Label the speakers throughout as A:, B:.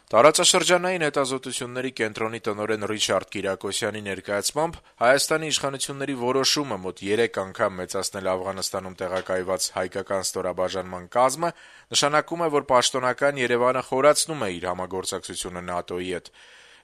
A: Տարածաշրջանային հետազոտությունների կենտրոնի տնօրեն Ռիչարդ Կիրակոսյանի ներկայացմամբ Հայաստանի իշխանությունների որոշումը մոտ 3 անգամ մեծացնել Աֆղանստանում տեղակայված հայկական ստորաբաժանման կազմը նշանակում է, որ պաշտոնական Երևանը խորացնում է իր համագործակցությունը ՆԱՏՕ-ի հետ։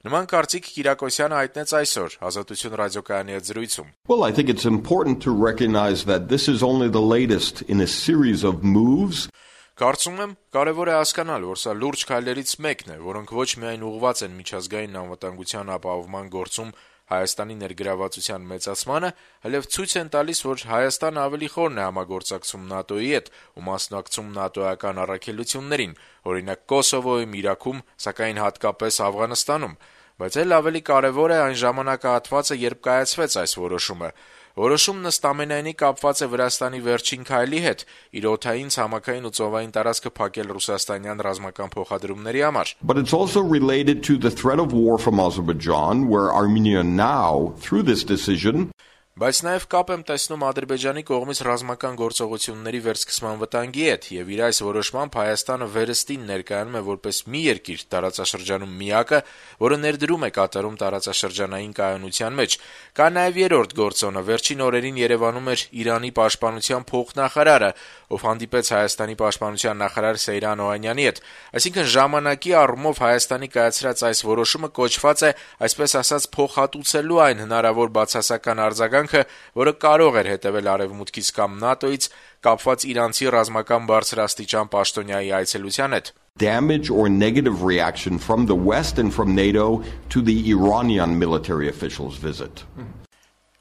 A: Նման կարծիք Կիրակոսյանը հայտնեց այսօր Ազատություն ռադիոկայանի հետ զրույցում։
B: Well, I think it's important to recognize that this is only the latest in a series of moves.
A: Կարծում եմ, կարևոր է հասկանալ, որ սա լուրջ քայլերից մեկն է, որոնք ոչ միայն ուղղված են միջազգային անվտանգության ապահովման գործում Հայաստանի ներգրավվածության մեծացմանը, այլև ցույց են տալիս, որ Հայաստանը ավելի խորն է համագործակցում ՆԱՏՕ-ի հետ ու մասնակցում ՆԱՏՕ-ական առաքելություններին, օրինակ Կոսովոյում, Իրաքում, սակայն հատկապես Աֆղանստանում, բայց էլ ավելի կարևոր է այն ժամանակահատվածը, երբ կայացվեց այս որոշումը։ Որոշումն ըստ ամենայնի կապված է Վրաստանի վերջին քայլի հետ՝ իր օդային, ցամաքային ու ծովային տարածքը փակել ռուսաստանյան ռազմական փոխադրումների համար։
B: But it's also related to the threat of war from Azerbaijan, where Armenia now, through this decision,
A: Բայց նաև կապ եմ տեսնում Ադրբեջանի կողմից ռազմական գործողությունների վերսկսման վտանգի հետ, եւ իր այս որոշմամբ Հայաստանը վերստին ներկայանում է որպես մի երկիր տարածաշրջանում միակը, որը ներդրում է կատարում տարածաշրջանային կայունության մեջ։ Կա նաև երրորդ գործոնը, վերջին օրերին Երևանում էր Իրանի պաշտպանության փոխնախարարը, ով հանդիպեց Հայաստանի պաշտպանության նախարար Սեյրան Օհանյանի հետ։ Այսինքն ժամանակի առումով Հայաստանի կայացրած այս որոշումը կոչված է, այսպես ասած, փոխհատուցելու այն հնարավոր բացասական արձագանքը, որը կարող էր հետևել Արևմուտքից կամ ՆԱՏՕ-ից կապված իրանցի ռազմական բարձրաստիճան պաշտոնյայի այցելության հետ։
B: Damage or negative reaction from the West and from NATO to the Iranian military officials' visit.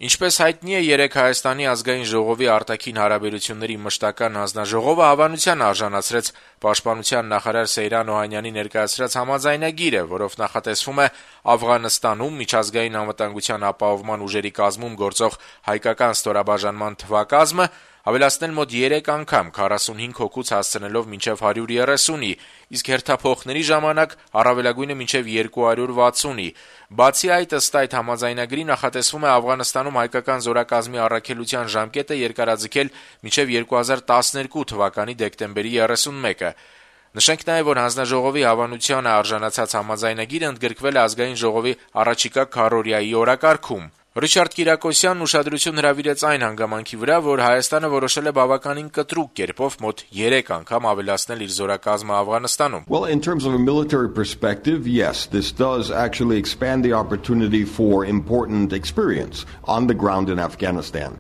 A: Ինչպես հայտնի է, երեկ Հայաստանի ազգային ժողովի արտաքին հարաբերությունների մշտական հանձնաժողովը հավանության արժանացրեց պաշտպանության նախարար Սեյրան Օհանյանի ներկայացրած համաձայնագիրը, որով նախատեսվում է Աֆղանստանում միջազգային անվտանգության ապահովման ուժերի կազմում գործող հայկական ստորաբաժանման թվակազմը ավելացնել մոտ 3 անգամ 45 հոգուց հասցնելով մինչև 130-ի, իսկ հերթափոխների ժամանակ առավելագույնը մինչև 260-ի։ Բացի այդ, ըստ այդ համաձայնագրի նախատեսվում է Աֆղանստանում հայկական զորակազմի առաքելության ժամկետը երկարաձգել մինչև 2012 թվականի դեկտեմբերի 31-ը։ Նշենք նաև, որ հանձնաժողովի հավանությանը արժանացած համաձայնագիրը ընդգրկվել է ազգային ժողովի առաջիկա քառօրյայի օրակարգում։ Ռիչարդ Կիրակոսյանն ուշադրություն հրավիրեց այն հանգամանքի վրա, որ Հայաստանը որոշել է բավականին կտրուկ կերպով մոտ 3 անգամ ավելացնել իր զորակազմը Աֆղանստանում։
B: Well, in terms of a military perspective, yes, this does actually expand the opportunity for important experience on the ground in Afghanistan.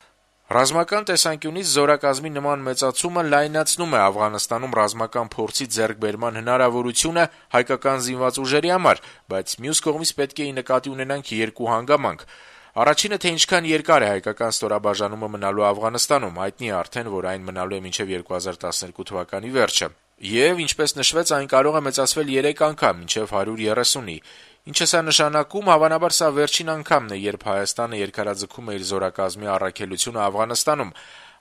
A: Ռազմական տեսանկյունից զորակազմի նման մեծացումը լայնացնում է Աֆղանստանում ռազմական փորձի ձեռքբերման հնարավորությունը հայկական զինված ուժերի համար, բայց մյուս կողմից պետք է նկատի ունենանք երկու հանգամանք։ Առաջինը, թե ինչքան երկար է հայկական ստորաբաժանումը մնալու Աֆղանստանում, հայտնի է արդեն, որ այն մնալու է մինչև 2012 թվականի վերջը։ Եվ, ինչպես նշվեց, այն կարող է մեծացվել 3 անգամ, մինչև 130-ի։ Ինչը սա նշանակում, հավանաբար սա վերջին անգամն է, երբ Հայաստանը երկարաձգում է իր զորակազմի առաքելությունը Աֆղանստանում։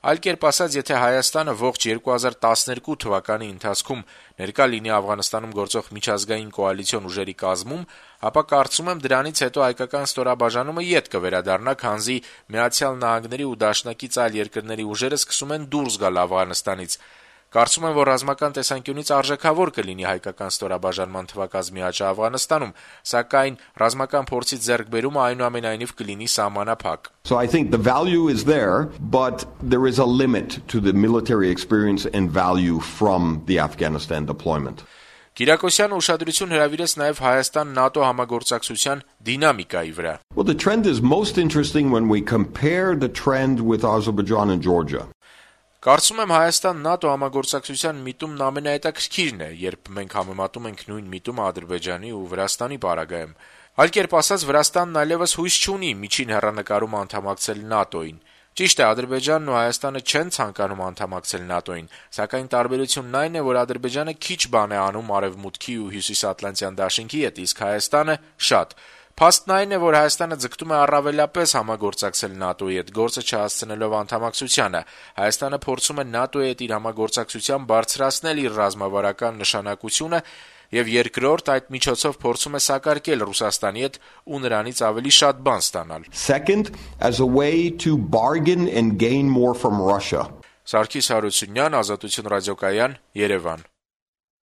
A: Այլ կերպ ասած, եթե Հայաստանը ողջ 2012 թվականի ընթացքում ներկա լինի Աֆղանստանում գործող միջազգային կոալիցիոն ուժերի կազմում, ապա կարծում եմ դրանից հետո հայկական ստորաբաժանումը ետ կվերադառնա, քանզի Միացյալ Նահանգների ու դաշնակից այլ երկրների ուժերը սկսում են դուրս գալ Աֆղանստանից։ Կարծում եմ, որ ռազմական տեսանկյունից արժեքավոր կլինի հայկական ստորաբաժանման թվակազմի աճը Աֆղանստանում, սակայն ռազմական փորձի ձեռքբերումը այնուամենայնիվ կլինի սահմանափակ։
B: So I think the value is there, but there is a limit to the military experience and value from the Afghanistan deployment.
A: Կիրակոսյանը ուշադրություն հրավիրեց նաև Հայաստան-ՆԱՏՕ համագործակցության դինամիկայի վրա։
B: Well, the trend is most interesting when we compare the trend with Azerbaijan and Georgia.
A: Կարծում եմ Հայաստան-ՆԱՏՕ համագործակցության միտումն ամենահետաքրքիրն է, երբ մենք համեմատում ենք նույն միտումը Ադրբեջանի ու Վրաստանի պարագայում։ Այլ կերպ ասած, Վրաստանն այլևս հույս չունի միջին հեռանկարում անդամակցել ՆԱՏՕ-ին։ Ճիշտ է, Ադրբեջանն ու Հայաստանը չեն ցանկանում անդամակցել ՆԱՏՕ-ին, սակայն տարբերությունն այն է, որ Ադրբեջանը քիչ բան է անում Արևմուտքի ու Հյուսիսատլանտյան դաշինքի հետ, իսկ Հայաստանը շատ։ Փաստն այն է, որ Հայաստանը ձգտում է առավելապես համագործակցել ՆԱՏՕ-ի հետ, գործը չհասցնելով անդամակցությանը։ Հայաստանը փորձում է ՆԱՏՕ-ի հետ իր համագործակցության բարձրացնել իր ռազմավարական նշանակությունը եւ երկրորդ այդ միջոցով փորձում է սակարկել Ռուսաստանի հետ ու նրանից ավելի շատ բան ստանալ։
B: Second, as a way to bargain and gain more from Russia.
A: Սարգիս Հարությունյան, Ազատություն ռադիոկայան, Երևան։